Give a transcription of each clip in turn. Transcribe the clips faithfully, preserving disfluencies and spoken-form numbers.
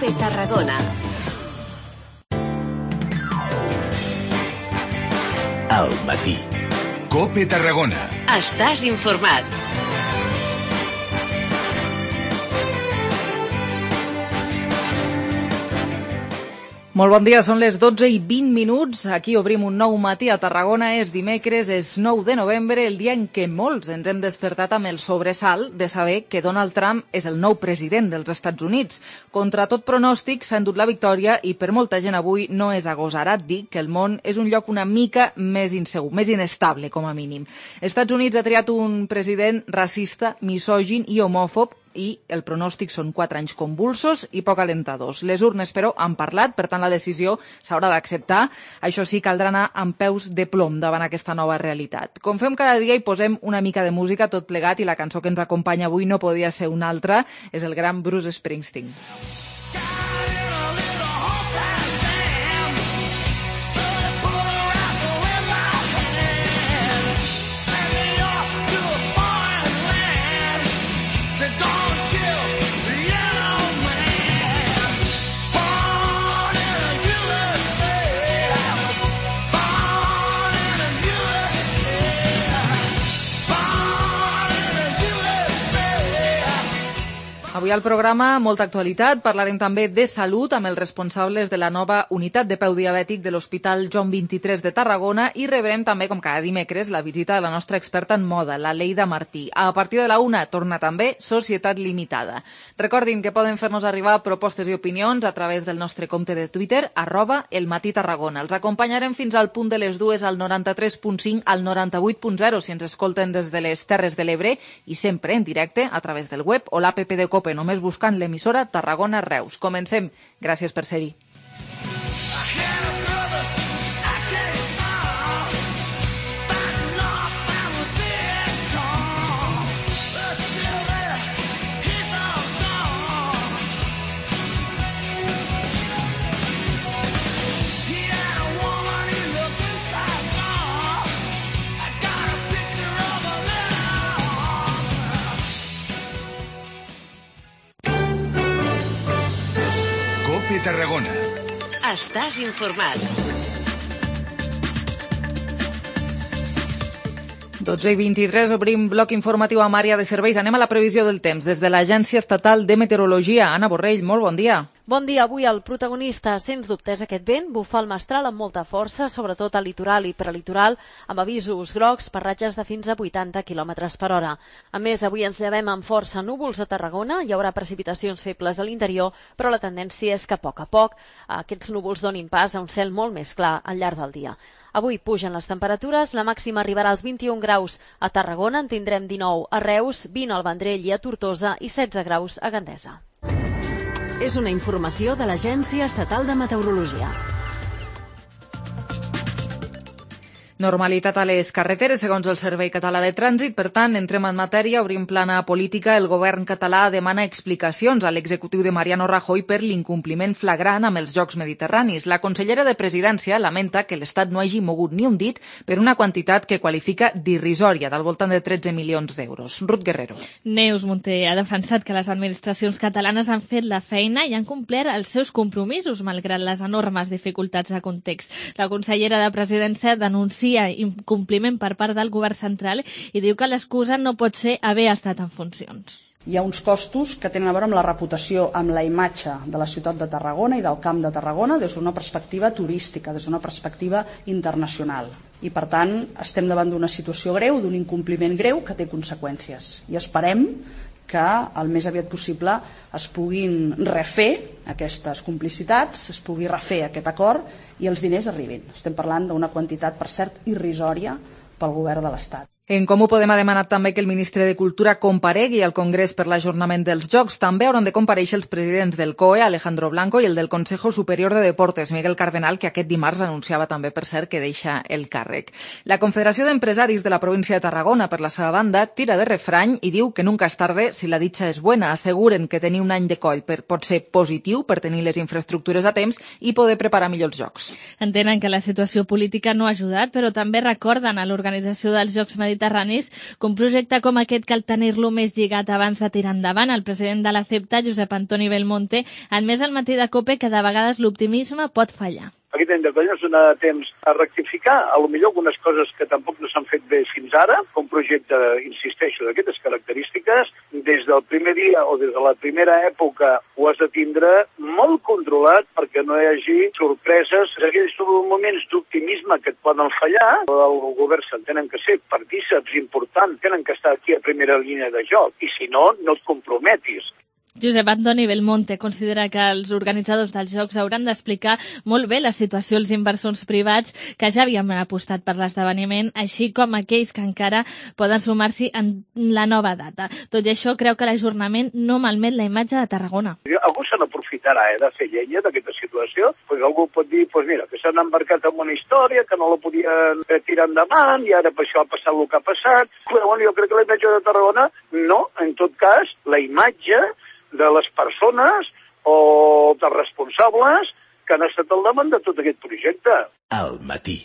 COPE Tarragona. Al matí. COPE Tarragona. Estàs informat. Molt bon dia, són les dotze i vint minuts. Aquí obrim un nou matí a Tarragona. És dimecres, és nou de novembre, el dia en què molts ens hem despertat amb el sobresalt de saber que Donald Trump és el nou president dels Estats Units. Contra tot pronòstic s'ha endut la victòria i per molta gent avui no és agosarat dir que el món és un lloc una mica més insegur, més inestable com a mínim. Estats Units ha triat un president racista, misògin i homòfob, i el pronòstic són quatre anys convulsos i poc alentadors. Les urnes, però, han parlat, per tant la decisió s'haurà d'acceptar. Això sí, caldrà anar amb peus de plom davant aquesta nova realitat. Com fem cada dia, hi posem una mica de música tot plegat i la cançó que ens acompanya avui no podia ser una altra, és el gran Bruce Springsteen. Avui al programa, molta actualitat. Parlarem també de salut amb els responsables de la nova unitat de peu diabètic de l'Hospital Joan vint-i-tres de Tarragona i rebrem també, com cada dimecres, la visita de la nostra experta en moda, la Leida Martí. A partir de la una torna també Societat Limitada. Recordin que poden fer-nos arribar propostes i opinions a través del nostre compte de Twitter, arroba el matí Tarragona. Els acompanyarem fins al punt de les dues al noranta-tres punt cinc al noranta-vuit punt zero si ens escolten des de les Terres de l'Ebre i sempre en directe a través del web o l'app de COPE, només buscant l'emissora Tarragona Reus. Comencem. Gràcies per ser-hi. COPE Tarragona. Estàs informat. dotze i vint-i-tres, obrim bloc informatiu amb àrea de serveis. Anem a la previsió del temps. Des de l'Agència Estatal de Meteorologia, Anna Borrell, molt bon dia. Bon dia. Avui el protagonista, sens dubte, és aquest vent. Bufa el mestral amb molta força, sobretot al litoral i prelitoral, amb avisos grocs per ratxes de fins a vuitanta quilòmetres per hora. A més, avui ens llevem amb força núvols a Tarragona. Hi haurà precipitacions febles a l'interior, però la tendència és que a poc a poc aquests núvols donin pas a un cel molt més clar al llarg del dia. Avui pugen les temperatures, la màxima arribarà als vint-i-un graus a Tarragona, en tindrem dinou a Reus, vint al Vendrell i a Tortosa i setze graus a Gandesa. És una informació de l'Agència Estatal de Meteorologia. Normalitat a les carreteres, segons el Servei Català de Trànsit. Per tant, entrem en matèria, obrim plana política. El govern català demana explicacions a l'executiu de Mariano Rajoy per l'incompliment flagrant amb els Jocs Mediterranis. La consellera de Presidència lamenta que l'Estat no hagi mogut ni un dit per una quantitat que qualifica d'irrisòria, del voltant de tretze milions d'euros. Ruth Guerrero. Neus Munté ha defensat que les administracions catalanes han fet la feina i han complert els seus compromisos, malgrat les enormes dificultats de context. La consellera de Presidència denuncia incompliment per part del govern central i diu que l'excusa no pot ser haver estat en funcions. Hi ha uns costos que tenen a veure amb la reputació, amb la imatge de la ciutat de Tarragona i del Camp de Tarragona des d'una perspectiva turística, des d'una perspectiva internacional. I, per tant, estem davant d'una situació greu, d'un incompliment greu que té conseqüències. I esperem que el més aviat possible es puguin refer aquestes complicitats, es pugui refer aquest acord i els diners arribin. Estem parlant d'una quantitat, per cert, irrisòria pel govern de l'Estat. En Comú Podem ha demanat també que el ministre de Cultura comparegui al Congrés per l'ajornament dels Jocs. També hauran de comparèixer els presidents del C O E, Alejandro Blanco, i el del Consejo Superior de Deportes, Miguel Cardenal, que aquest dimarts anunciava també, per cert, que deixa el càrrec. La Confederació d'Empresaris de la província de Tarragona, per la seva banda, tira de refrany i diu que nunca és tarde si la dicha és buena. Asseguren que tenir un any de coll per, pot ser positiu per tenir les infraestructures a temps i poder preparar millor els Jocs. Entenen que la situació política no ha ajudat, però també recorden a l'organització dels Jocs Mediterranis mediterranis, que un projecte com aquest cal tenir-lo més lligat abans de tirar endavant. El president de la CEPTA, Josep Antoni Belmonte, ha admès al matí de COPE que de vegades l'optimisme pot fallar. Aquest any de colla ens dona temps a rectificar, a lo millor algunes coses que tampoc no s'han fet bé fins ara, un projecte, insisteixo, d'aquestes característiques, des del primer dia o des de la primera època ho has de tindre molt controlat perquè no hi hagi sorpreses. Aquells moments d'optimisme que et poden fallar, el govern s'entenen que ser partíceps importants, tenen que estar aquí a primera línia de joc, i si no, no et comprometis. Josep Antoni Belmonte considera que els organitzadors dels Jocs hauran d'explicar molt bé la situació als inversors privats que ja havien apostat per l'esdeveniment, així com aquells que encara poden sumar-s'hi en la nova data. Tot i això, creu que l'ajornament no malmet la imatge de Tarragona. Algú se n'aprofitarà eh, de fer llenya d'aquesta situació, perquè algú pot dir pues mira, que s'han embarcat en una història, que no la podien tirar endavant, i ara per això ha passat el que ha passat. Però bueno, jo crec que la imatge de Tarragona, no, en tot cas, la imatge de les persones o dels responsables que han estat al davant de tot aquest projecte. Al matí.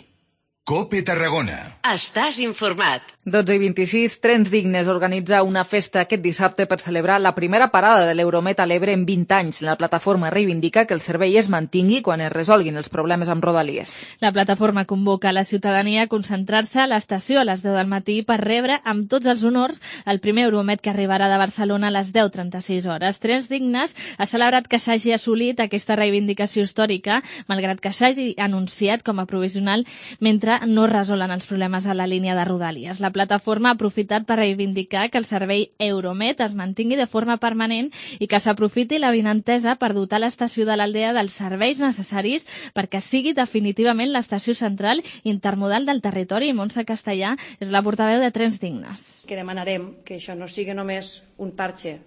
COPE Tarragona. Estàs informat. dotze i vint-i-sis, Trens Dignes organitza una festa aquest dissabte per celebrar la primera parada de l'Euromet a l'Ebre en vint anys. La plataforma reivindica que el servei es mantingui quan es resolguin els problemes amb Rodalies. La plataforma convoca a la ciutadania a concentrar-se a l'estació a les deu del matí per rebre amb tots els honors el primer Euromet que arribarà de Barcelona a les deu trenta-sis hores. Trens Dignes ha celebrat que s'hagi assolit aquesta reivindicació històrica, malgrat que s'hagi anunciat com a provisional mentre no resolen els problemes a la línia de Rodalies. La plataforma ha aprofitat per reivindicar que el servei Euromet es mantingui de forma permanent i que s'aprofiti la vinentesa per dotar l'estació de l'Aldea dels serveis necessaris perquè sigui definitivament l'estació central intermodal del territori. Montse Castellà és la portaveu de Trens Dignes. Que demanarem que això no sigui només un parche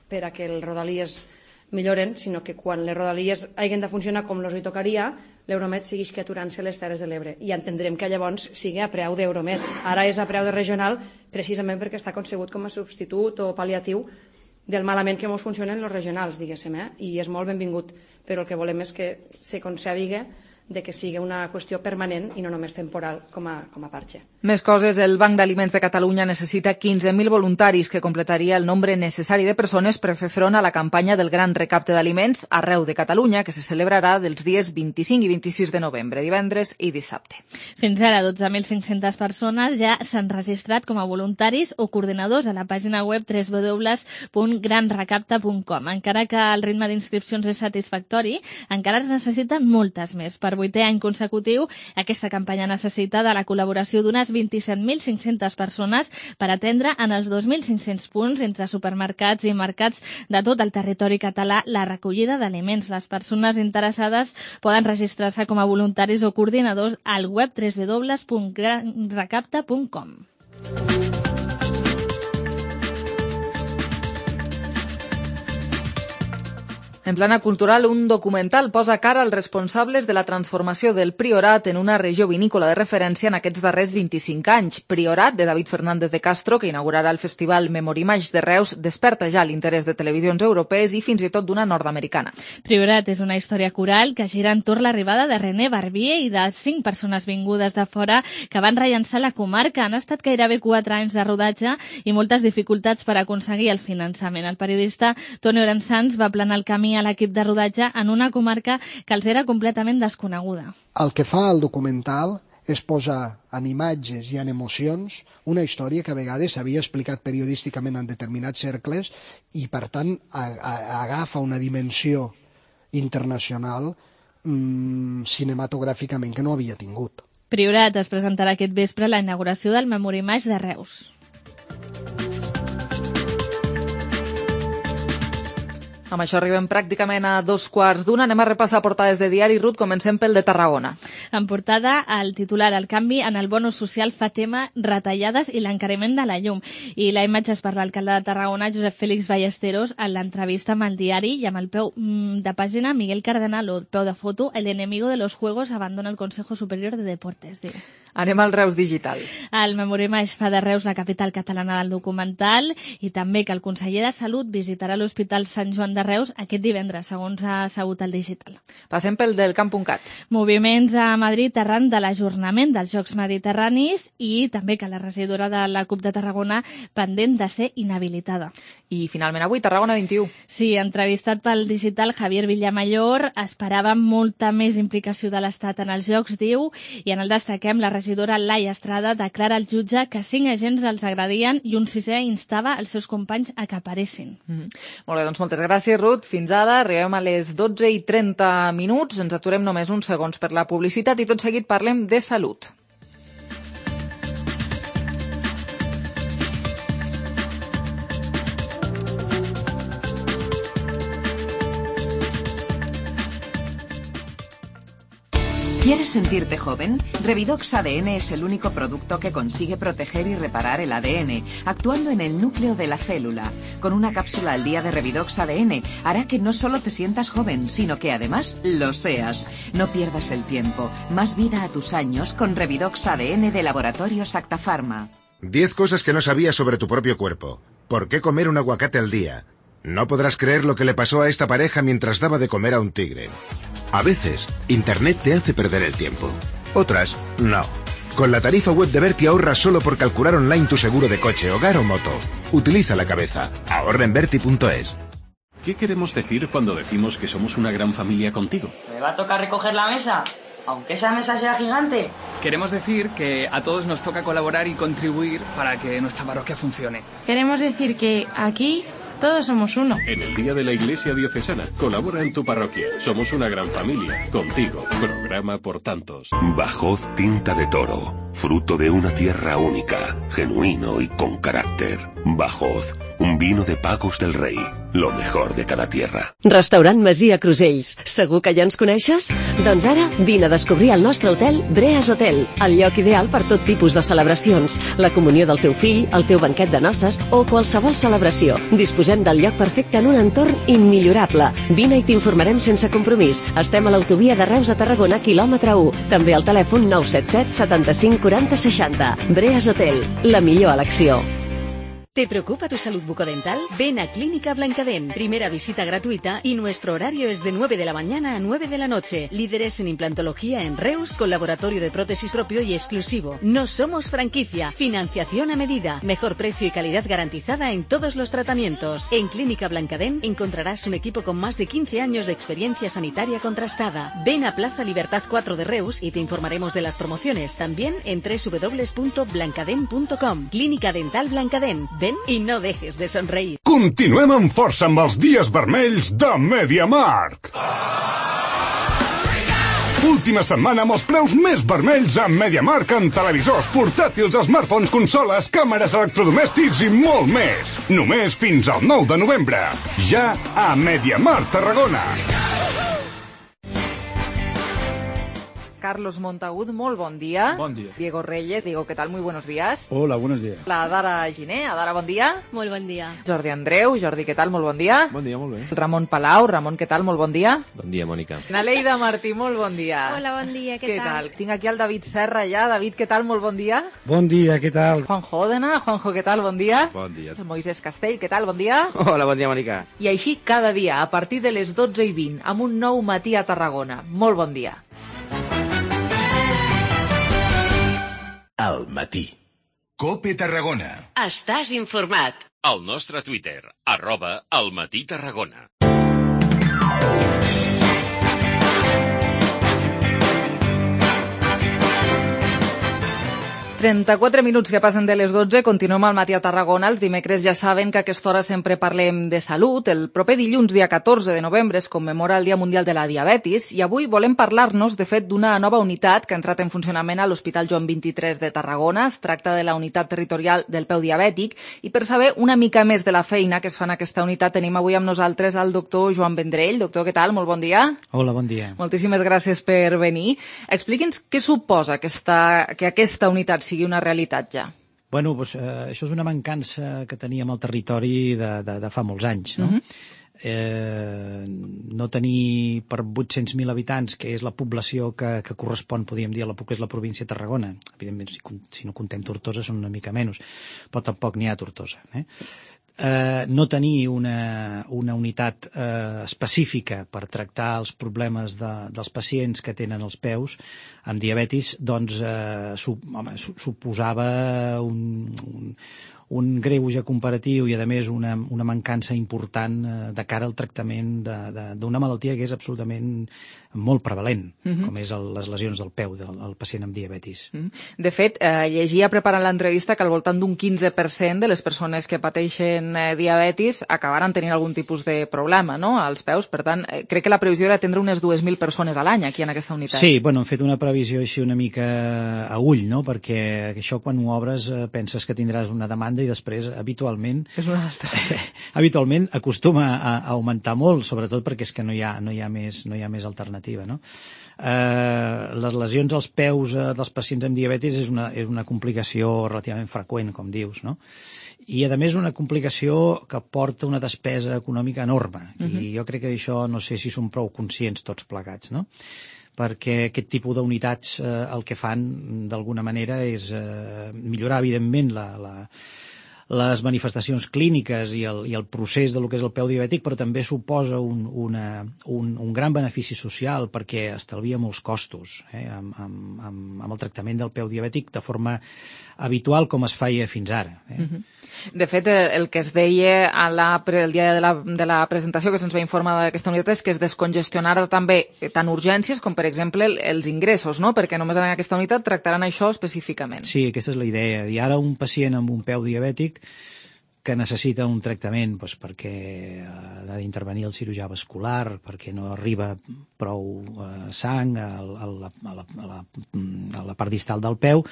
per a que els Rodalies milloren, sinó que quan les Rodalies hagin de funcionar com els hi tocaria, l'Euromet segueix que aturant-se les Terres de l'Ebre. I entendrem que llavors sigui a preu d'Euromet. Ara és a preu de regional precisament perquè està concebut com a substitut o pal·liatiu del malament que ens funcionen els regionals, diguéssim, eh? I és molt benvingut, però el que volem és que se concebigui de que sigui una qüestió permanent i no només temporal com a, com a parche. Més coses, el Banc d'Aliments de Catalunya necessita quinze mil voluntaris, que completaria el nombre necessari de persones per fer front a la campanya del Gran Recapte d'Aliments arreu de Catalunya, que se celebrarà dels dies vint-i-cinc i vint-i-sis de novembre, divendres i dissabte. Fins ara, dotze mil cinc-centes persones ja s'han registrat com a voluntaris o coordinadors a la pàgina web w w w punt gran recapte punt com. Encara que el ritme d'inscripcions és satisfactori, encara es necessiten moltes més. Per vuitè any consecutiu, aquesta campanya necessita de la col·laboració d'unes vint-i-set mil cinc-centes persones per atendre en els dos mil cinc-cents punts entre supermercats i mercats de tot el territori català la recollida d'aliments. Les persones interessades poden registrar-se com a voluntaris o coordinadors al web w w w punt gran recapte punt com. En plana cultural, un documental posa cara als responsables de la transformació del Priorat en una regió vinícola de referència en aquests darrers vint-i-cinc anys. Priorat, de David Fernández de Castro, que inaugurarà el festival Memorimage de Reus, desperta ja l'interès de televisions europees i fins i tot d'una nord-americana. Priorat és una història coral que gira entorn l'arribada de René Barbier i de cinc persones vingudes de fora que van rellançar la comarca. Han estat gairebé quatre anys de rodatge i moltes dificultats per aconseguir el finançament. El periodista Toni Orensanz va planar el camí a l'equip de rodatge en una comarca que els era completament desconeguda. El que fa el documental és posar en imatges i en emocions una història que a vegades s'havia explicat periodísticament en determinats cercles i, per tant, a, a, agafa una dimensió internacional mmm, cinematogràficament que no havia tingut. Priorat es presentarà aquest vespre a la inauguració del Memorimage de Reus. Amb això arribem pràcticament a dos quarts d'una. Anem a repassar portades de diari. Ruth, comencem pel de Tarragona. En portada, el titular, el canvi en el bono social fa tema retallades i l'encariment de la llum. I la imatge és per l'alcalde de Tarragona, Josep Félix Ballesteros, en l'entrevista amb el diari i amb el peu de pàgina Miguel Cardenal, o peu de foto, el enemigo de los juegos abandona el Consejo Superior de Deportes. Diu. Anem al Reus Digital. El Memorema es fa de Reus la capital catalana del documental i també que el conseller de Salut visitarà l'Hospital Sant Joan de Reus aquest divendres, segons ha sabut el Digital. Passem pel del camp punt cat. Moviments a Madrid arran de l'ajornament dels Jocs Mediterranis i també que la regidora de la CUP de Tarragona pendent de ser inhabilitada. I finalment avui, Tarragona vint-i-u. Sí, entrevistat pel Digital, Javier Villamayor esperava molta més implicació de l'Estat en els Jocs, diu, i en el destaquem la regidora Laia Estrada declara al jutge que cinc agents els agredien i un sisè instava els seus companys a que aparessin. Mm -hmm. Molt bé, doncs moltes gràcies, Ruth. Fins ara, arribem a les dotze i trenta minuts. Ens aturem només uns segons per la publicitat i tot seguit parlem de salut. ¿Quieres sentirte joven? Revidox A D N es el único producto que consigue proteger y reparar el A D N, actuando en el núcleo de la célula. Con una cápsula al día de Revidox A D N hará que no solo te sientas joven, sino que además lo seas. No pierdas el tiempo. Más vida a tus años con Revidox A D N de Laboratorios Acta Pharma. diez cosas que no sabías sobre tu propio cuerpo. ¿Por qué comer un aguacate al día? No podrás creer lo que le pasó a esta pareja mientras daba de comer a un tigre. A veces, Internet te hace perder el tiempo. Otras, no. Con la tarifa web de Berti ahorras solo por calcular online tu seguro de coche, hogar o moto. Utiliza la cabeza. Ahorra en berti punto es. ¿Qué queremos decir cuando decimos que somos una gran familia contigo? ¿Me va a tocar recoger la mesa? Aunque esa mesa sea gigante. Queremos decir que a todos nos toca colaborar y contribuir para que nuestra parroquia funcione. Queremos decir que aquí todos somos uno. En el Día de la Iglesia Diocesana, colabora en tu parroquia. Somos una gran familia. Contigo. Programa por tantos. Bajoz Tinta de Toro. Fruto de una tierra única, genuino y con carácter. Bajoz, un vino de Pagos del Rei. Lo mejor de cada tierra. Restaurant Masia Crusells. Segur que ja ens coneixes? Doncs ara vine a descobrir el nostre hotel Breas Hotel, el lloc ideal per tot tipus de celebracions, la comunió del teu fill, el teu banquet de noces o qualsevol celebració. Disposem del lloc perfecte en un entorn immillorable. Vine i t'informarem sense compromís. Estem a l'autovia de Reus a Tarragona, quilòmetre u. També al telèfon nou set set setanta-cinc quaranta seixanta. Breas Hotel, la millor elecció. ¿Te preocupa tu salud bucodental? Ven a Clínica Blancadén. Primera visita gratuita y nuestro horario es de nueve de la mañana a nueve de la noche. Líderes en implantología en Reus, con laboratorio de prótesis propio y exclusivo. No somos franquicia. Financiación a medida. Mejor precio y calidad garantizada en todos los tratamientos. En Clínica Blancadén encontrarás un equipo con más de quince años de experiencia sanitaria contrastada. Ven a Plaza Libertad cuatro de Reus y te informaremos de las promociones. También en doble u doble u doble u punto blancadén punto com. Clínica Dental Blancadén. Ven i no dejes de somreir. Continuem amb força amb els dies vermells de MediaMarkt. Última setmana amb els preus més vermells a MediaMarkt en televisors, portàtils, smartphones, consoles, càmeres, electrodomèstics i molt més. Només fins al nou de novembre. Ja a MediaMarkt Tarragona. Carlos Montagut, molt bon dia. Bon dia. Diego Reyes, Diego, ¿qué tal? Muy buenos días. Hola, buenos días. La Adara Giné, Adara, bon dia. Molt bon dia. Jordi Andreu, Jordi, què tal? Molt bon dia. Bon dia, molt bé. Ramon Palau, Ramon, què tal? Molt bon dia. Bon dia, Mònica. Naleida Martí, molt bon dia. Hola, bon dia, què, què tal? Tinc aquí el David Serra ja. David, què tal? Molt bon dia. Bon dia, què tal? Juanjo Òdena, Juanjo, què tal? Bon dia. Bon dia. Moisés Castell, què tal? Bon dia. Hola, bon dia, Mònica. I així cada dia, a partir de les dotze i vint, amb un nou matí a Tarragona. Molt bon dia. Al matí. COPE Tarragona. Estàs informat. Al nostre Twitter, arroba Al Matí Tarragona. trenta-quatre minuts que passen de les dotze, continuem al matí a Tarragona. Els dimecres ja saben que a aquesta hora sempre parlem de salut. El proper dilluns, dia catorze de novembre, es commemora el Dia Mundial de la Diabetis i avui volem parlar-nos, de fet, d'una nova unitat que ha entrat en funcionament a l'Hospital Joan vint-i-tres de Tarragona. Es tracta de la unitat territorial del peu diabètic i per saber una mica més de la feina que es fa en aquesta unitat tenim avui amb nosaltres el doctor Joan Vendrell. Doctor, què tal? Molt bon dia. Hola, bon dia. Moltíssimes gràcies per venir. Expliqui'ns què suposa aquesta, que aquesta unitat sigui una realitat ja. Bueno, doncs, eh, això és una mancança que teníem al territori de, de, de fa molts anys, no? Uh-huh. eh, no tenir per vuit-cents mil habitants, que és la població que, que correspon, podríem dir, a la, que és la província de Tarragona. Evidentment, si, si no contem Tortosa, són una mica menys, però tampoc n'hi ha a Tortosa. Eh? Eh, no tenir una, una unitat eh, específica per tractar els problemes de, dels pacients que tenen els peus amb diabetis, doncs eh, su, home, su, suposava un, un, un greuge comparatiu i, a més, una, una mancança important eh, de cara al tractament d'una malaltia que és absolutament molt prevalent, uh-huh. com és el, les lesions del peu del el pacient amb diabetis. Uh-huh. De fet, eh, llegia preparant l'entrevista que al voltant d'un quinze per cent de les persones que pateixen eh, diabetis acabaran tenint algun tipus de problema, no?, als peus. Per tant, eh, crec que la previsió era atendre unes dues mil persones a l'any aquí en aquesta unitat. Sí, bueno, hem fet una previsió així una mica a ull, no?, perquè això quan ho obres eh, penses que tindràs una demanda i després habitualment és una altra. habitualment acostuma a, a augmentar molt, sobretot perquè és que no hi ha, no hi ha més, no hi ha més alternativa. No? Eh, les lesions als peus eh, dels pacients amb diabetis és una, és una complicació relativament freqüent, com dius, no? I, a més, una complicació que porta una despesa econòmica enorme. Uh-huh. I jo crec que això no sé si som prou conscients tots plegats, no? Perquè aquest tipus d'unitats eh, el que fan, d'alguna manera, és eh, millorar, evidentment, la... la les manifestacions clíniques i el, i el procés de lo que és el peu diabètic, però també suposa un, una, un, un gran benefici social perquè estalvia molts costos eh, amb, amb, amb, amb el tractament del peu diabètic de forma habitual com es feia fins ara. Eh. Uh-huh. De fet, el que es deia a la, el dia de la, de la presentació que se'ns va informar d'aquesta unitat és que es descongestionarà també tant urgències com, per exemple, els ingressos, no? Perquè només en aquesta unitat tractaran això específicament. Sí, aquesta és la idea. I ara un pacient amb un peu diabètic que necessita un tractament doncs, perquè ha d'intervenir el cirurgià vascular, perquè no arriba prou eh, sang a, a, la, a, la, a, la, a la part distal del peu,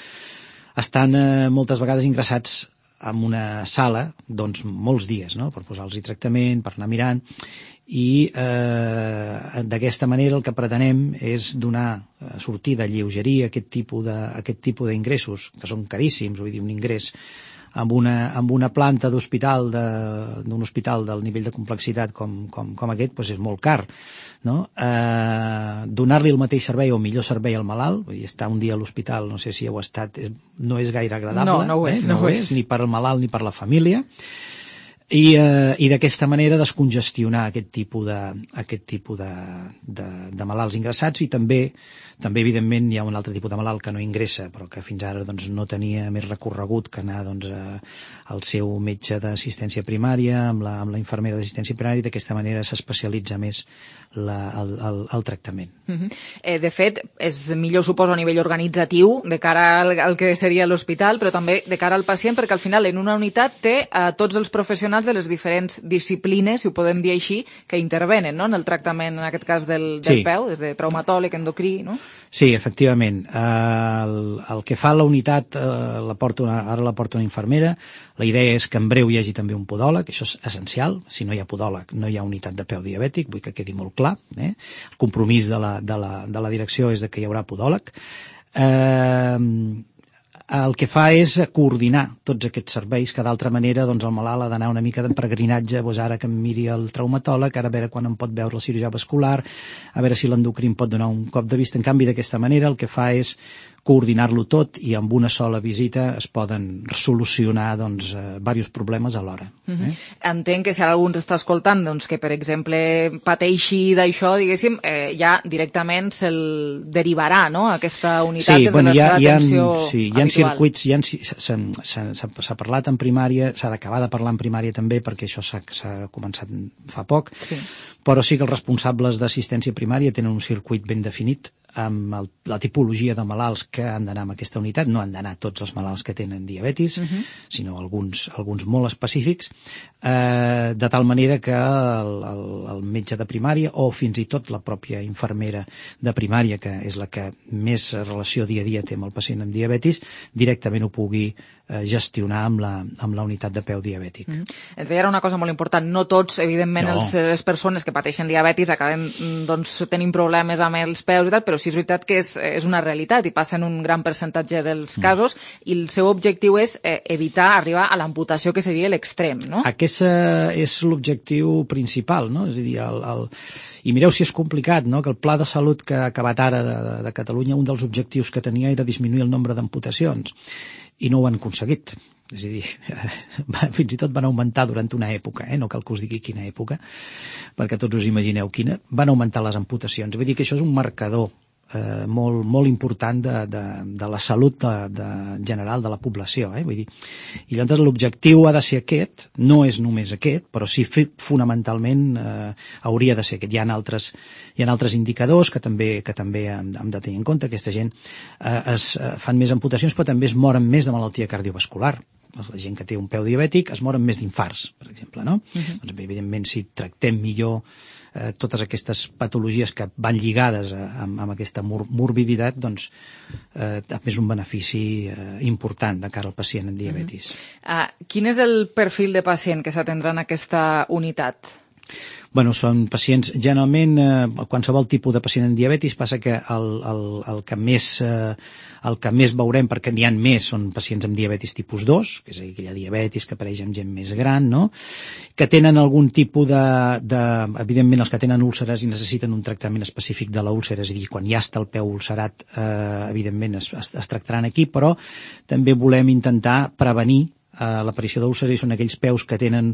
estan eh, moltes vegades ingressats en una sala, doncs, molts dies, no?, per posar-los tractament, per anar mirant, i eh, d'aquesta manera el que pretenem és donar sortida, lleugerir aquest tipus de, aquest tipus d'ingressos, que són caríssims, vull dir, un ingrés amb una, amb una planta d'hospital, d'un hospital del nivell de complexitat com, com, com aquest, doncs és molt car, no? Eh, donar-li el mateix servei o millor servei al malalt, vull dir, estar un dia a l'hospital, no sé si heu estat, no és gaire agradable, no, no ho és, eh? no, no ho és, és, ni per al malalt ni per la família, i, eh, i d'aquesta manera descongestionar aquest tipus de, aquest tipus de, de, de malalts ingressats, i també També, evidentment, hi ha un altre tipus de malalt que no ingressa, però que fins ara doncs, no tenia més recorregut que anar doncs, a, al seu metge d'assistència primària, amb la, amb la infermera d'assistència primària, i d'aquesta manera s'especialitza més la, el, el, el tractament. Uh-huh. eh, de fet, és millor, suposo, a nivell organitzatiu, de cara al, al que seria l'hospital, però també de cara al pacient, perquè al final en una unitat té eh, tots els professionals de les diferents disciplines, si ho podem dir així, que intervenen, no?, en el tractament, en aquest cas, del, del sí. peu, des de traumatòleg, endocrí, no? Sí, efectivament. Eh, el, el que fa la unitat, eh, la porta una, ara la porta una infermera. La idea és que en breu hi hagi també un podòleg, això és essencial. Si no hi ha podòleg, no hi ha unitat de peu diabètic, vull que quedi molt clar. Eh? El compromís de la, de, la, de la direcció és de que hi haurà podòleg. Eh, el que fa és coordinar tots aquests serveis, que d'altra manera doncs, el malalt ha d'anar una mica de peregrinatge, doncs ara que em miri el traumatòleg, ara a veure quan em pot veure el cirurgià vascular, a veure si l'endocrí em pot donar un cop de vista. En canvi, d'aquesta manera el que fa és coordinar-lo tot, i amb una sola visita es poden solucionar doncs, eh, diversos problemes alhora. Eh? Uh-huh. Entenc que si algú ens està escoltant doncs, que, per exemple, pateixi d'això, diguéssim, eh, ja directament se'l derivarà, no?, a aquesta unitat sí, des bueno, de la ha, seva ha, atenció sí, hi ha habitual. Circuits, hi ha, s'ha parlat en primària, s'ha d'acabar de parlar en primària també, perquè això s'ha començat fa poc, sí. Però sí que els responsables d'assistència primària tenen un circuit ben definit amb el, la tipologia de malalts que han d'anar a aquesta unitat. No han d'anar tots els malalts que tenen diabetis, uh-huh. sinó alguns, alguns molt específics, eh, de tal manera que el, el, el metge de primària o fins i tot la pròpia infermera de primària, que és la que més relació dia a dia té amb el pacient amb diabetis, directament ho pugui gestionar amb la, amb la unitat de peu diabètic. Mm-hmm. Ens deia una cosa molt important, no tots, evidentment, no. els, les persones que pateixen diabetis acaben doncs, tenint problemes amb els peus i tal, però sí és veritat que és, és una realitat i passa en un gran percentatge dels casos mm. i el seu objectiu és eh, evitar arribar a l'amputació, que seria l'extrem, no? Aquest és l'objectiu principal, no? És a dir, el, el... I mireu si és complicat, no? Que el Pla de Salut que ha acabat ara de, de, de Catalunya, un dels objectius que tenia era disminuir el nombre d'amputacions. I no ho han aconseguit. És a dir, fins i tot van augmentar durant una època, eh? No cal que us digui quina època, perquè tots us imagineu quina, van augmentar les amputacions. Vull dir que això és un marcador eh, molt, molt important de, de, de la salut de, de general de la població. Eh? Vull dir, i llavors l'objectiu ha de ser aquest, no és només aquest, però sí fonamentalment eh, hauria de ser aquest. Hi ha altres, hi ha altres indicadors que també, que també hem, hem de tenir en compte. Aquesta gent eh, es eh, fan més amputacions, però també es moren més de malaltia cardiovascular. La gent que té un peu diabètic es moren més d'infarts, per exemple, no? Uh-huh. Doncs, evidentment, si tractem millor eh, totes aquestes patologies que van lligades a, amb, amb aquesta mor morbiditat, doncs eh, també és un benefici eh, important de cara al pacient amb diabetis. Uh-huh. uh, quin és el perfil de pacient que s'atendrà en aquesta unitat? Bueno, són pacients, generalment, eh, qualsevol tipus de pacient amb diabetis, passa que el, el, el, que més, eh, el que més veurem, perquè n'hi ha més, són pacients amb diabetis tipus dos, que és aquella diabetis que apareix en gent més gran, no? Que tenen algun tipus de, de... Evidentment, els que tenen úlceres i necessiten un tractament específic de la úlcera, és a dir, quan ja està el peu ulcerat, eh, evidentment es, es, es tractaran aquí, però també volem intentar prevenir Uh, l'aparició d'úlceres, i són aquells peus que tenen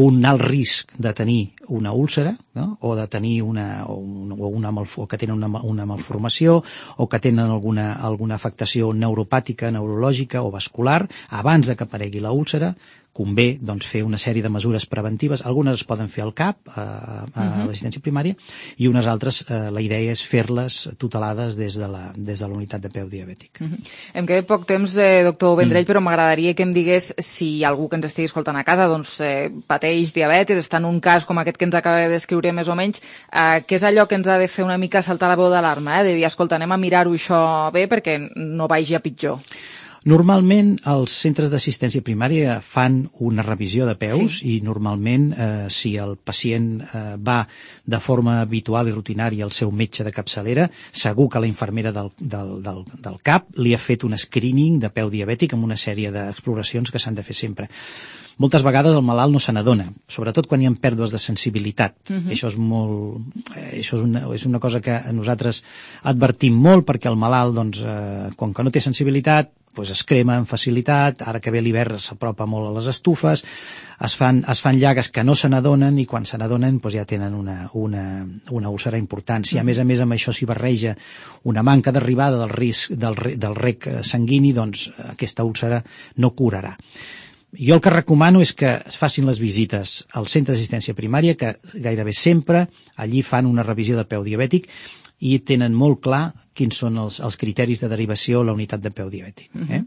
un alt risc de tenir una úlcera, no? O de tenir una, o una, o una malf o que tenen una, una malformació, o que tenen alguna, alguna afectació neuropàtica, neurològica o vascular. Abans de que aparegui la úlcera, convé doncs, fer una sèrie de mesures preventives. Algunes es poden fer al CAP, a, a uh-huh. l'assistència primària, i unes altres, eh, la idea és fer-les tutelades des de la, des de la unitat de peu diabètic. Uh-huh. Em queda poc temps, eh, doctor Vendrell, mm. però m'agradaria que em digués si algú que ens estigui escoltant a casa doncs, eh, pateix diabetis, està en un cas com aquest que ens acaba de descriure més o menys, eh, què és allò que ens ha de fer una mica saltar la veu d'alarma, eh? De dir, escolta, anem a mirar-ho això bé perquè no vagi a pitjor. Normalment els centres d'assistència primària fan una revisió de peus sí. I normalment eh, si el pacient eh, va de forma habitual i rutinària al seu metge de capçalera, segur que la infermera del, del, del, del CAP li ha fet un screening de peu diabètic amb una sèrie d'exploracions que s'han de fer sempre. Moltes vegades el malalt no se n'adona, sobretot quan hi ha pèrdues de sensibilitat. Uh-huh. Això és molt, eh, això és una, és una cosa que nosaltres advertim molt, perquè el malalt, doncs, eh, com que no té sensibilitat, pues es crema amb facilitat, ara que ve l'hivern s'apropa molt a les estufes, es fan, es fan llagues que no se n'adonen i quan se n'adonen pues ja tenen una, una, una úlcera important. Si a més a més amb això s'hi barreja una manca d'arribada del risc del, del rec sanguini, doncs aquesta úlcera no curarà. Jo el que recomano és que es facin les visites al centre d'assistència primària, que gairebé sempre allí fan una revisió de peu diabètic i tenen molt clar quins són els, els criteris de derivació a la unitat de peu diabètic. Eh?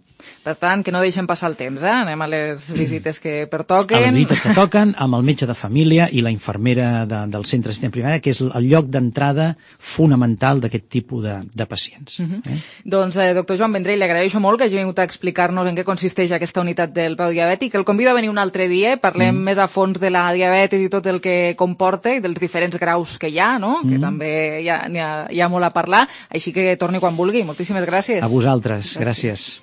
Per tant, que no deixem passar el temps, eh? Anem a les visites que pertoquen. A les visites que toquen, amb el metge de família i la infermera de, del centre d'assistència primària, que és el lloc d'entrada fonamental d'aquest tipus de, de pacients. Uh -huh. eh? Doncs, eh, doctor Joan Vendrell, li agraeixo molt que hagi vingut a explicar-nos en què consisteix aquesta unitat del peu diabètic. El convido a venir un altre dia, parlem mm. més a fons de la diabetis i tot el que comporta i dels diferents graus que hi ha, no? Mm. Que també hi ha, hi, ha, hi ha molt a parlar, així que torni quan vulgui. Moltíssimes gràcies. A vosaltres, gràcies. gràcies.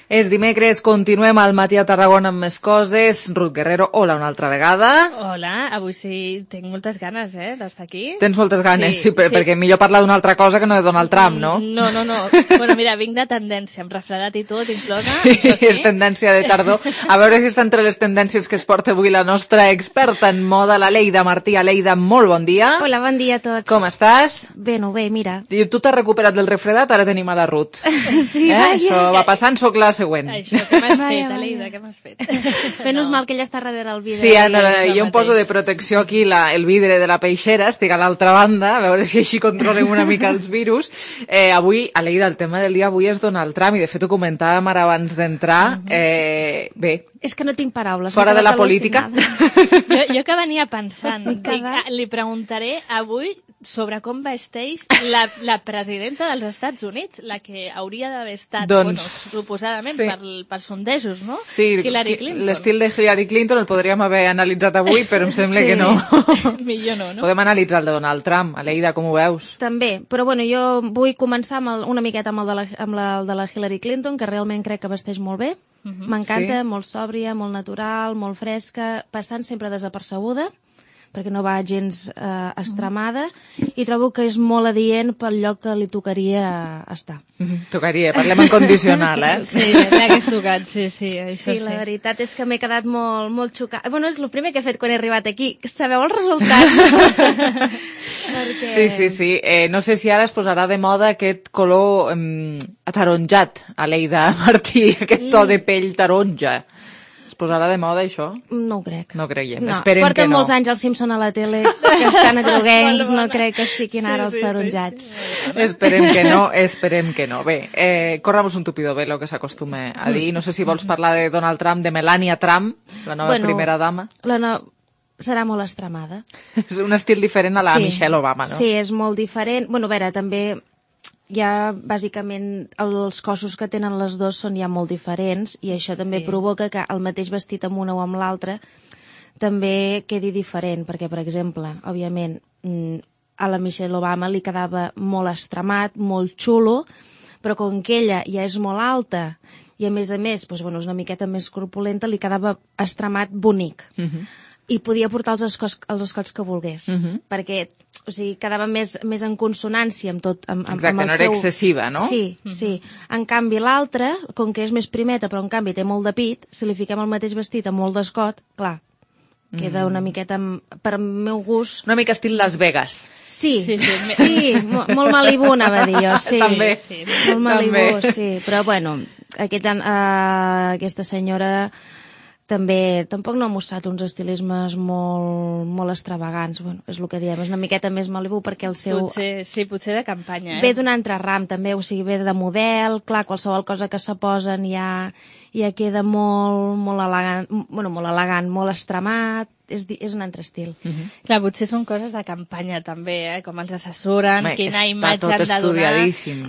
És dimecres, continuem al matí a Tarragona amb més coses. Ruth Guerrero, hola una altra vegada. Hola, avui sí, tinc moltes ganes, eh, d'estar aquí. Tens moltes ganes, sí, sí, per, sí. perquè millor parlar d'una altra cosa que no de Donald Trump, no? No, no, no. Bueno, mira, vinc de tendència, amb refredat i tot, inclosa, sí, això sí. És tendència de tardor. A veure si està entre les tendències que es porta avui la nostra experta en moda, la Leida Martí. Leida, molt bon dia. Hola, bon dia a tots. Com estàs? Bé, no, bé, mira. I tu t'has recuperat del refredat, ara tenim a la Ruth. Sí, eh? vaja. Això va passant, soc la següent. Això, què m'has fet, Aleida, què m'has fet? Menys mal que ella està darrere el vidre. Sí, no, jo em poso de protecció aquí la, el vidre de la peixera, estic a l'altra banda, a veure si així controlem una mica els virus. Eh, avui, Aleida, el tema del dia avui és Donald Trump, i de fet ho comentàvem ara abans d'entrar. Eh, bé, és que no tinc paraules. Fora de la política. Jo, jo que venia pensant, dic, li preguntaré avui sobre com vesteix la, la presidenta dels Estats Units, la que hauria d'haver estat, doncs, bueno, suposadament, sí. per, per sondejos, no? Sí, Hillary Clinton. L'estil de Hillary Clinton el podríem haver analitzat avui, però em sembla sí. que no. Millor no, no? Podem analitzar el de Donald Trump. Aleida, com ho veus? També, però bueno, jo vull començar amb el, una miqueta amb el de la, amb la, el de la Hillary Clinton, que realment crec que vesteix molt bé. Uh-huh. M'encanta, sí. Molt sòbria, molt natural, molt fresca, passant sempre desapercebuda, perquè no va gens eh, estremada, i trobo que és molt adient pel lloc que li tocaria estar. Mm-hmm. Tocaria, parlem en condicional, eh? Sí, ja hagués tocat, sí, sí, això sí. Sí, la veritat és que m'he quedat molt, molt xocada. Bueno, és el primer que he fet quan he arribat aquí. Sabeu els resultats? Perquè... Sí, sí, sí. Eh, no sé si ara es posarà de moda aquest color eh, ataronjat, Aleida Martí, aquest to de pell taronja. Posarà de moda, això? No ho crec. No creiem, no. esperem Porten que no. molts anys els Simpson a la tele, que estan groguencs, no crec que es fiquin ara els sí, sí, taronjats. Sí, sí. Esperem que no, esperem que no. Bé, eh, corramos un tupido velo, que s'acostuma a dir. No sé si vols parlar de Donald Trump, de Melania Trump, la nova bueno, primera dama. La no... serà molt estremada. És un estil diferent a la sí. Michelle Obama, no? Sí, és molt diferent. Bueno, a veure, també... ja bàsicament els cossos que tenen les dues són ja molt diferents i això també sí. provoca que el mateix vestit amb una o amb l'altra també quedi diferent, perquè per exemple, òbviament a la Michelle Obama li quedava molt estremat, molt xulo, però com que ella ja és molt alta i a més a més doncs, bueno, és una miqueta més corpulenta, li quedava estremat bonic. Uh-huh. I podia portar els escots, els escots que volgués, uh-huh. perquè o sigui, quedava més, més en consonància amb tot. Amb, amb, Exacte, amb el no era seu... excessiva, no? Sí, uh-huh. sí. En canvi, l'altra, com que és més primeta, però en canvi té molt de pit, si li fiquem el mateix vestit amb molt d'escot, clar, queda una miqueta, per meu gust... Una mica estil Las Vegas. Sí, sí, sí, sí molt, molt Malibu, anava a dir jo, sí. També. Sí, molt Malibu, També. sí. Però, bueno, aquest, uh, aquesta senyora... també tampoc no ha mostrat uns estilismes molt, molt extravagants. Bueno, és el que diem, és una miqueta més Malibu perquè el seu... Potser, sí, potser de campanya. Eh? Ve d'un altre ram, també, o sigui, ve de model, clar, qualsevol cosa que se posen ja, ja queda molt, molt elegant, bueno, molt elegant, molt extremat, és, és un altre estil. Uh-huh. Clar, potser són coses de campanya també, eh? Com els assessoren, Home, quina imatge han de donar.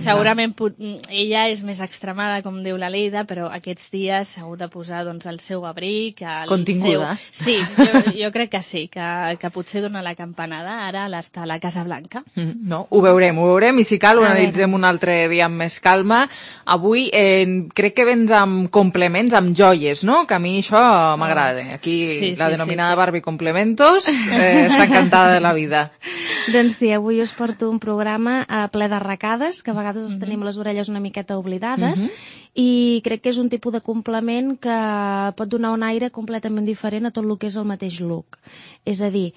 Segurament pot... ella és més extremada, com diu la Leida, però aquests dies s'ha hagut de posar doncs, el seu abric, el continguda. Seu... Sí, jo, jo crec que sí, que, que potser dona la campanada ara està a la Casa Blanca. Mm, no, ho veurem, ho veurem, i si cal ho analitzem un altre dia amb més calma. Avui eh, crec que vens amb complements, amb joies, no? Que a mi això m'agrada. Aquí sí, la sí, denominada sí, sí. Barbie Complementos eh, està encantada de la vida. Doncs sí, avui us porto un programa eh, ple d'arracades, que a vegades els uh-huh. tenim les orelles una miqueta oblidades, uh-huh. i crec que és un tipus de complement que pot donar un aire completament diferent a tot el que és el mateix look. És a dir,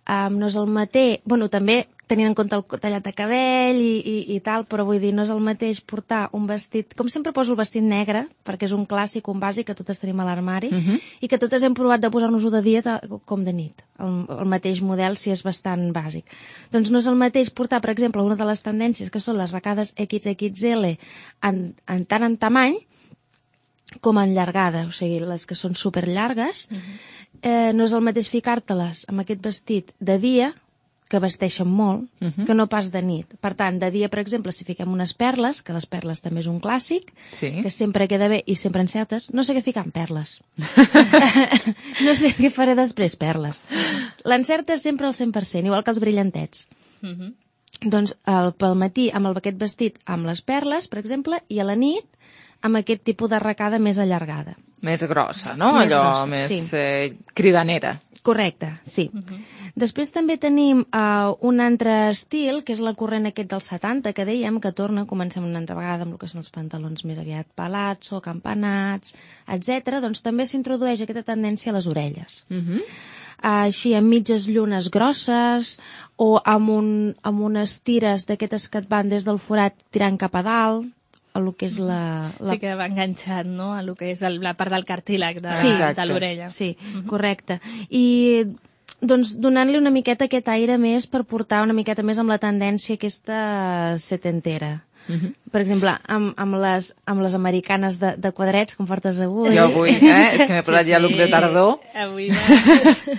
um, no és el mateix... Bueno, també tenint en compte el tallat de cabell i, i, i tal, però vull dir, no és el mateix portar un vestit... Com sempre poso el vestit negre, perquè és un clàssic, un bàsic que totes tenim a l'armari, uh-huh. i que totes hem provat de posar-nos-ho de dia com de nit. El, el mateix model, si és bastant bàsic. Doncs no és el mateix portar, per exemple, una de les tendències que són les arracades equis equis ele en, en tant en tamany com en llargada, o sigui, les que són superllargues, uh-huh. eh, no és el mateix ficar-te-les amb aquest vestit de dia, que vesteixen molt, uh-huh. que no pas de nit. Per tant, de dia, per exemple, si fiquem unes perles, que les perles també és un clàssic, sí. que sempre queda bé i sempre encertes, no sé què ficar en perles. No sé què faré després, perles. L'encertes sempre al cent per cent, igual que els brillantets. Uh-huh. Doncs el, pel matí, amb el, aquest vestit, amb les perles, per exemple, i a la nit, amb aquest tipus d'arracada més allargada. Més grossa, no? Més Allò grossa, més sí. eh, cridanera. Correcte, sí. Uh-huh. Després també tenim uh, un altre estil, que és la corrent aquest dels setanta, que dèiem que torna, comencem una altra vegada amb el que són els pantalons més aviat pelats o campanats, etcètera. Doncs també s'introdueix aquesta tendència a les orelles. Uh-huh. Uh, així, amb mitges llunes grosses o amb, un, amb unes tires d'aquestes que et van des del forat tirant cap a dalt, a lo que és la... la... Sí, que va enganxat, no?, a lo que és el, la part del cartílag de, sí, de l'orella. Sí, uh-huh. correcte. I doncs donant-li una miqueta aquest aire més per portar una miqueta més amb la tendència aquesta setentera. Uh-huh. Per exemple, amb, amb, les, amb les americanes de, de quadrets, com portes avui. Jo avui, eh? És que m'he posat sí, ja look de tardor. Avui va.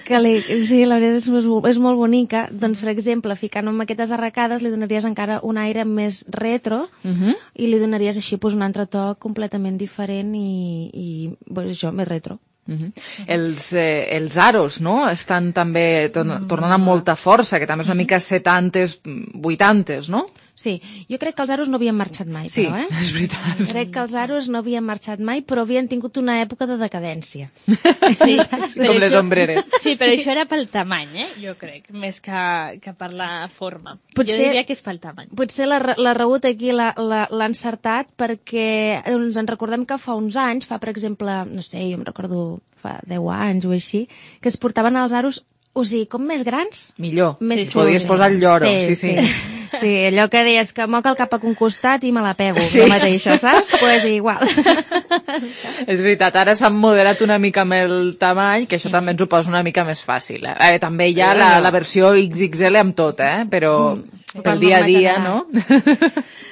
Que li, sí, la veritat és, és molt bonica. Doncs, per exemple, ficant amb aquestes arracades li donaries encara un aire més retro uh-huh. i li donaries així pues, un altre to completament diferent i, i pues, això, més retro. Uh-huh. Els, eh, els aros, no?, estan també tor- tornant amb molta força, que també és una mica setantes, vuitantes, no? Sí, jo crec que els aros no havien marxat mai, sí, però, eh? és veritat. Crec que els aros no havien marxat mai, però havien tingut una època de decadència. Sí, com les ombreres. Sí, però sí. Això era pel tamany, eh? Jo crec, més que, que per la forma. Potser, jo diria que és pel tamany. Potser la, la Raüt aquí l'ha, l'ha, l'ha encertat perquè doncs, ens recordem que fa uns anys, fa per exemple, no sé, jo em recordo fa deu anys o així, que es portaven els aros, o sigui, com més grans... Millor, més sí, podies sí. posar el lloro, sí, sí. sí. sí. Sí, allò que deies que moca el cap a un costat i me la pego, sí. la mateixa, saps? Pues igual. És veritat, ara s'han moderat una mica amb el tamany, que això mm. també ens ho posa una mica més fàcil. Eh? Eh, també hi ha la, la versió X X L amb tot, eh? Però mm, sí. pel dia a dia, no?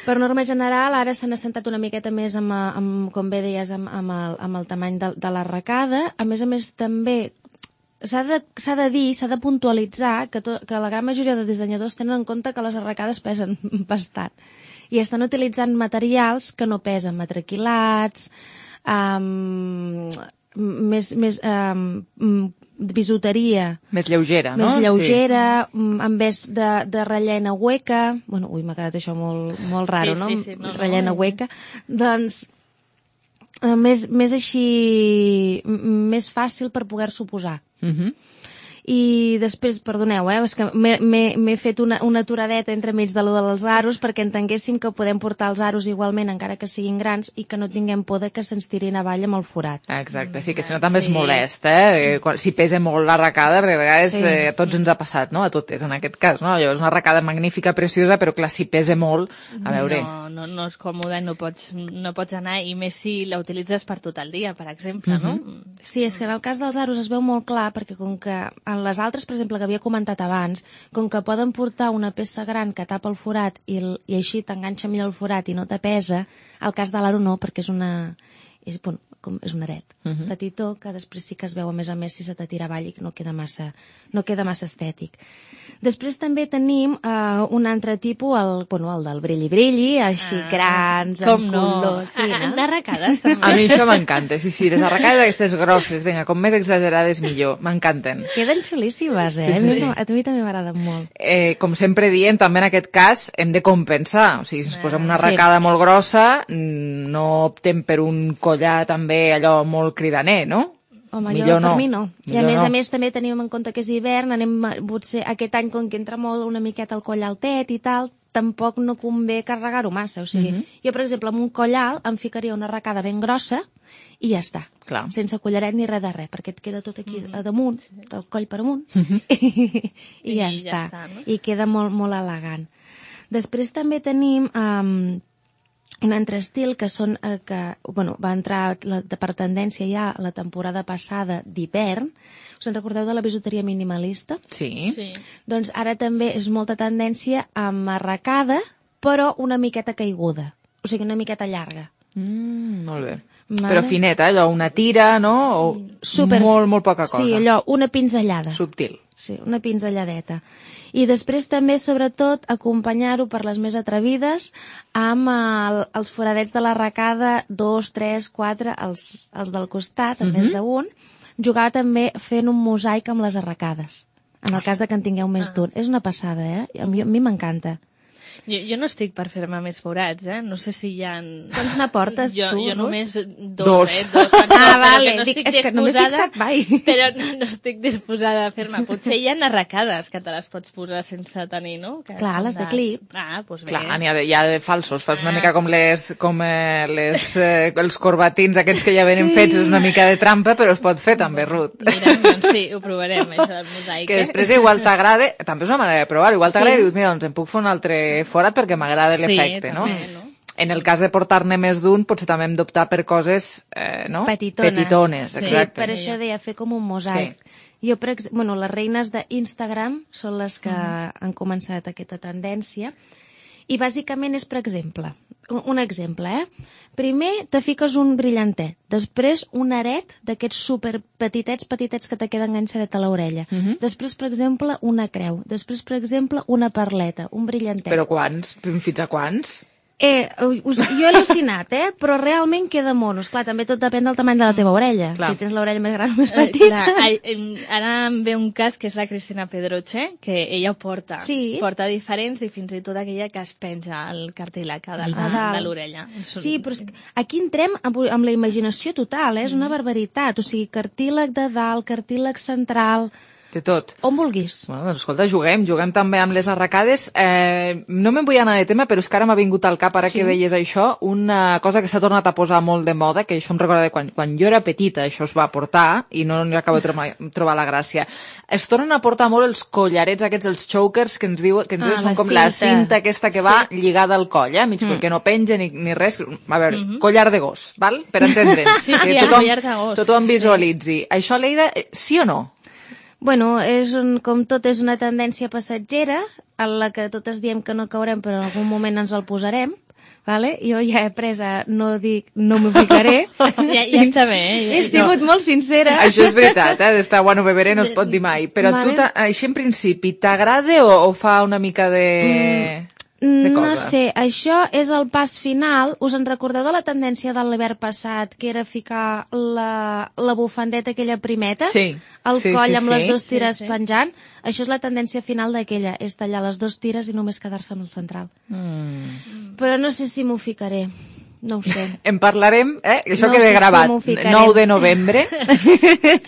Per norma general, ara s'han assentat una miqueta més amb, amb com bé deies, amb, amb, el, amb el tamany de, de l'arracada. A més a més, també s'ha de, s'ha de dir, s'ha de puntualitzar que, to, que la gran majoria de dissenyadors tenen en compte que les arracades pesen bastant i estan utilitzant materials que no pesen, matraquilats, um, més, més um, bisuteria. Més lleugera, no? Més lleugera, sí. En vez de, de rellena hueca. Bueno, ui, m'ha quedat això molt, molt raro, sí, no? Sí, sí, no? Rellena no, hueca. Doncs... Uh, més, més així, més fàcil per poder-s'ho posar. Uh-huh. I després, perdoneu, eh, és que m'he, m'he, m'he fet una, una aturadeta entre mig de lo dels aros perquè entenguéssim que podem portar els aros igualment, encara que siguin grans, i que no tinguem por de que se'ns tirin avall amb el forat. Exacte, sí, que si no també sí. és molest, eh? Si pesa molt l'arracada, perquè a vegades sí. eh, a tots ens ha passat, no? A totes, en aquest cas, no? Llavors, una arracada magnífica, preciosa, però clar, si pesa molt, a veure... No, no, no és còmode, no pots, no pots anar, i més si la utilitzes per tot el dia, per exemple, uh-huh. no? Sí, és que en el cas dels aros es veu molt clar, perquè com que en les altres, per exemple, que havia comentat abans, com que poden portar una peça gran que tapa el forat i, el, i així t'enganxa millor el forat i no te pesa, el cas de l'aro no, perquè és una... És, bueno, com, és un aret uh-huh. petitó, que després sí que es veu a més a més si se te tira avall i que no queda massa, no queda massa estètic. Després també tenim uh, un altre tipus, el, bueno, el del brilli-brilli, així ah, grans, com amb no? colors. Sí, a, no? Arracades, també. A mi això m'encanta, sí, sí, les arracades aquestes grosses, vinga, com més exagerades millor, m'encanten. Queden xulíssimes, eh? Sí, sí, sí. A mi també m'agraden molt. Eh, com sempre diem, també en aquest cas hem de compensar, o sigui, si ens posem una arracada sí. molt grossa, no optem per un collar també allò molt cridaner, no? Home, millor jo, no. per mi no. I a millor més no. a més també tenim en compte que és hivern, anem potser aquest any com que entra molt una miqueta el coll altet i tal, tampoc no convé carregar-ho massa. O sigui, uh-huh. jo, per exemple, amb un coll alt em ficaria una arracada ben grossa i ja està. Clar. Sense collaret ni res de res, perquè et queda tot aquí uh-huh. a damunt, del coll per amunt, uh-huh. i, i ja I està. Ja està, no? I queda molt, molt elegant. Després també tenim... Um, un altre estil que són eh, que, bueno, va entrar la, per tendència ja la temporada passada d'hivern. Us en recordeu de la bisuteria minimalista? Sí. sí. Doncs ara també és molta tendència amb arracada, però una miqueta caiguda. O sigui, una miqueta llarga. Mm, molt bé. Vale. Però fineta, allò, una tira, no? O Super... molt, molt poca cosa. Sí, allò, una pinzellada. Subtil. Sí, una pinzelladeta. I després també, sobretot, acompanyar-ho per les més atrevides amb el, els foradets de l'arracada, dos, tres, quatre, els, els del costat, en més d'un, jugar també fent un mosaic amb les arracades, en el cas de que en tingueu més d'un. És una passada, eh? A mi, a mi m'encanta. Jo, jo no estic per fer-me més forats, eh? No sé si hi ha... Quants n'aportes, jo, tu? Jo només dos, dos. eh? Dos ah, vale, no dic, és que no m'he fixat mai. Però no, no estic disposada a fer-me. Potser hi ha arracades que te les pots posar sense tenir, no? Que clar, les de clip. Ah, doncs bé. Clar, n'hi ha, de, hi ha de falsos. Fas una mica com, les, com eh, les, eh, els corbatins aquests que ja venen sí. fets, és una mica de trampa, però es pot fer també, Ruth. Mira, doncs sí, ho provarem, això del mosaic. Que després igual t'agrada, també és una manera de provar, igual t'agrada sí. i dius, mira, doncs em puc fer un altre forat perquè m'agrada l'efecte, sí, no? També, no? en el cas de portar-ne més d'un, potser també hem d'optar per coses eh, no? petitones. petitones sí, exacte. Per això deia fer com un mosaic. Sí. Jo, per exemple, bueno, les reines d'Instagram són les que uh-huh. han començat aquesta tendència. I bàsicament és, per exemple, un, un exemple, eh? Primer te fiques un brillantet, després un aret d'aquests super petitets, petitets que te queden enganxadet a l'orella. Uh-huh. Després, per exemple, una creu. Després, per exemple, una perleta, un brillantet. Però quants? Fins a quants? Eh, us, jo he al·lucinat, eh? Però realment queda monos. Clar, també tot depèn del tamany de la teva orella. Clar. Si tens l'orella més gran o més petita. Eh, clar, ara em ve un cas que és la Cristina Pedroche, que ella ho porta. Sí. Porta diferents i fins i tot aquella que es penja al cartílag de, ah, de l'orella. Sí, però aquí entrem amb, amb la imaginació total, eh? És una barbaritat. O sigui, cartílag de dalt, cartílag central... De tot. On vulguis. Bueno, doncs escolta, juguem, juguem també amb les arracades. Eh, no me'n vull anar de tema, però és que ara m'ha vingut al cap, ara sí. que deies això, una cosa que s'ha tornat a posar molt de moda, que això em recorda de quan, quan jo era petita, això es va portar, i no n'hi acabo de trobar, trobar la gràcia. Es tornen a portar molt els collarets aquests, els chokers, que ens diuen que ens ah, són com cinta. La cinta aquesta que va sí. lligada al coll, eh? Mig mm. que no penja ni, ni res. A veure, mm-hmm. collar de gos, val? Per entendre'ns. Sí, sí, tothom, collar de gos. Tothom visualitzi. Sí. Això, Leida, sí o no? Bueno, és un, com tot, és una tendència passatgera, en la que totes diem que no caurem, però en algun moment ens el posarem. Vale? Jo ja he après a no dir, no m'ho ficaré. ja, ja està bé. Eh? He sigut no. molt sincera. Això és veritat, eh? D'estar bueno beberé no es pot dir mai. Però vale. Tu, així en principi, t'agrada o, o fa una mica de... Mm. No sé, això és el pas final. Us en recordeu de la tendència de l'hivern passat, que era ficar la, la bufandeta aquella primeta sí. al sí, coll sí, amb sí. les dues tires sí, sí. penjant? Això és la tendència final d'aquella, és tallar les dues tires i només quedar-se amb el central. Mm. Però no sé si m'ho ficaré. No ho sé. En parlarem, eh? Això no queda sé gravat si nou de novembre.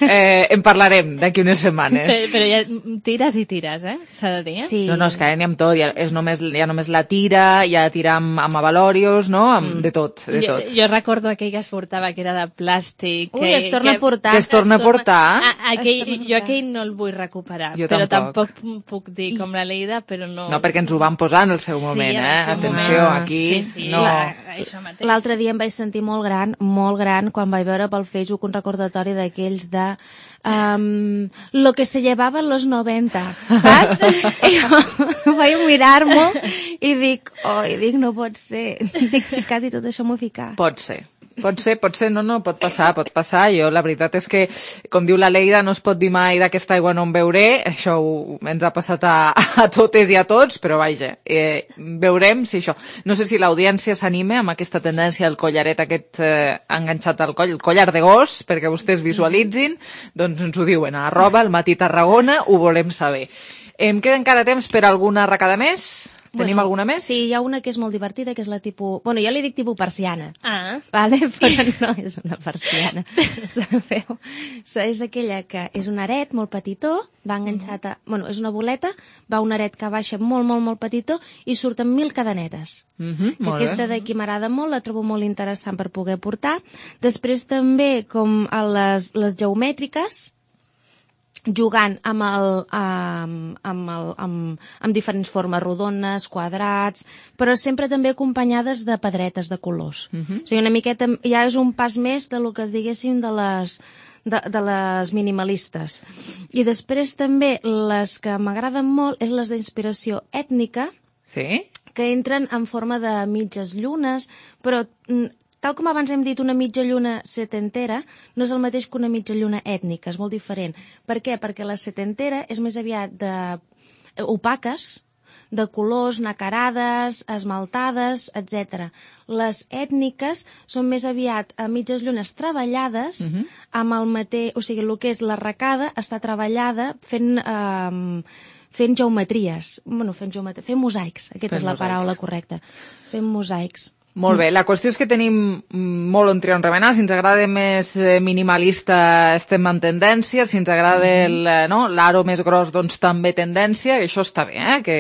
eh, en parlarem d'aquí unes setmanes. Però, però ja tires i tires, eh? S'ha de dir, eh? Sí. No, no, és que ara n'hi ha amb tot. Ja, és només, ja només la tira, ja tirar amb, amb avalòrios, no? Amb, mm. De tot, de jo, tot. Jo recordo aquell que es portava, que era de plàstic. Ui, que, es torna que, a portar. Que es torna a portar. A, aquell, torna a jo aquell no el vull recuperar. Jo però tampoc. tampoc puc dir com la Leida, però no... No, perquè ens ho van posar en el seu moment, sí, eh? seu Atenció, moment. aquí... Sí, sí, no... L'altre dia em vaig sentir molt gran, molt gran, quan vaig veure pel Facebook un recordatori d'aquells de um, lo que se llevava en los noventa, saps? I jo vaig mirar-m'ho i dic, oh, i dic, no pot ser. Dic, si quasi tot això m'ho ficar. Pot ser. Pot ser, pot ser, no, no, pot passar, pot passar. Jo, la veritat és que, com diu la Leida, no es pot dir mai d'aquesta aigua no en beuré. Això ho, ens ha passat a, a totes i a tots, però vaja, eh, veurem si això... No sé si l'audiència s'anima amb aquesta tendència del collaret aquest eh, enganxat al coll, el collar de gos, perquè vostès visualitzin, doncs ens ho diuen a arroba el Matí Tarragona, ho volem saber. Em queda encara temps per alguna arracada més? Tenim bueno, alguna més? Sí, hi ha una que és molt divertida, que és la tipus... Bueno, jo li dic tipus persiana. Ah. Vale? Però no és una persiana. Sabeu? És aquella que és un aret molt petitó, va enganxat a... Bueno, és una boleta, va un aret que baixa molt, molt, molt petitó i surten mil cadenetes. Mm-hmm, que aquesta d'aquí m'agrada molt, la trobo molt interessant per poder portar. Després també, com a les, les geomètriques, jugant amb, el, amb, amb, el, amb, amb diferents formes rodones, quadrats, però sempre també acompanyades de pedretes de colors. Mm-hmm. O sigui, una miqueta ja és un pas més de lo que diguéssim de les, de, de les minimalistes. I després també les que m'agraden molt és les d'inspiració ètnica, sí? Que entren en forma de mitges llunes, però... Tal com abans hem dit, una mitja lluna setentera no és el mateix que una mitja lluna ètnica, és molt diferent. Per què? Perquè la setentera és més aviat de opaques, de colors, nacarades, esmaltades, etcètera. Les ètniques són més aviat a mitges llunes treballades, uh-huh. amb el mateix... O sigui, el que és l'arracada està treballada fent... Eh, fent geometries. Bueno, fent geometries, fent mosaics. Aquesta fent és la mosaics. paraula correcta. Fent mosaics. Molt bé, la qüestió és que tenim molt on triar on remenar. Si ens agrada més minimalista estem en tendència, si ens agrada el, no, l'aro més gros doncs també tendència, i això està bé, eh? Que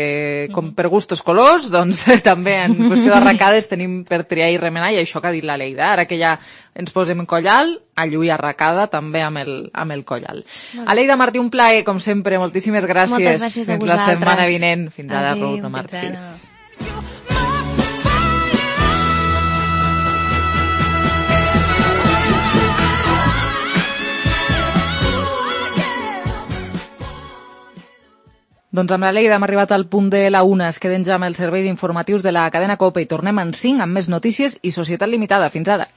com per gustos colors, doncs també en qüestió d'arracades tenim per triar i remenar, i això que ha dit la Leida, ara que ja ens posem collal, a lluir arracada també amb el, amb el collal. Aleida Martí, un plaer, com sempre, moltíssimes gràcies. Moltes gràcies a Fins vosaltres. La setmana vinent. Fins ara, Adéu, Ruta Martís. Doncs amb la Lleida hem arribat al punt de la una. Es queden ja amb els serveis informatius de la cadena COPE i tornem en cinc amb més notícies i Societat Limitada. Fins ara.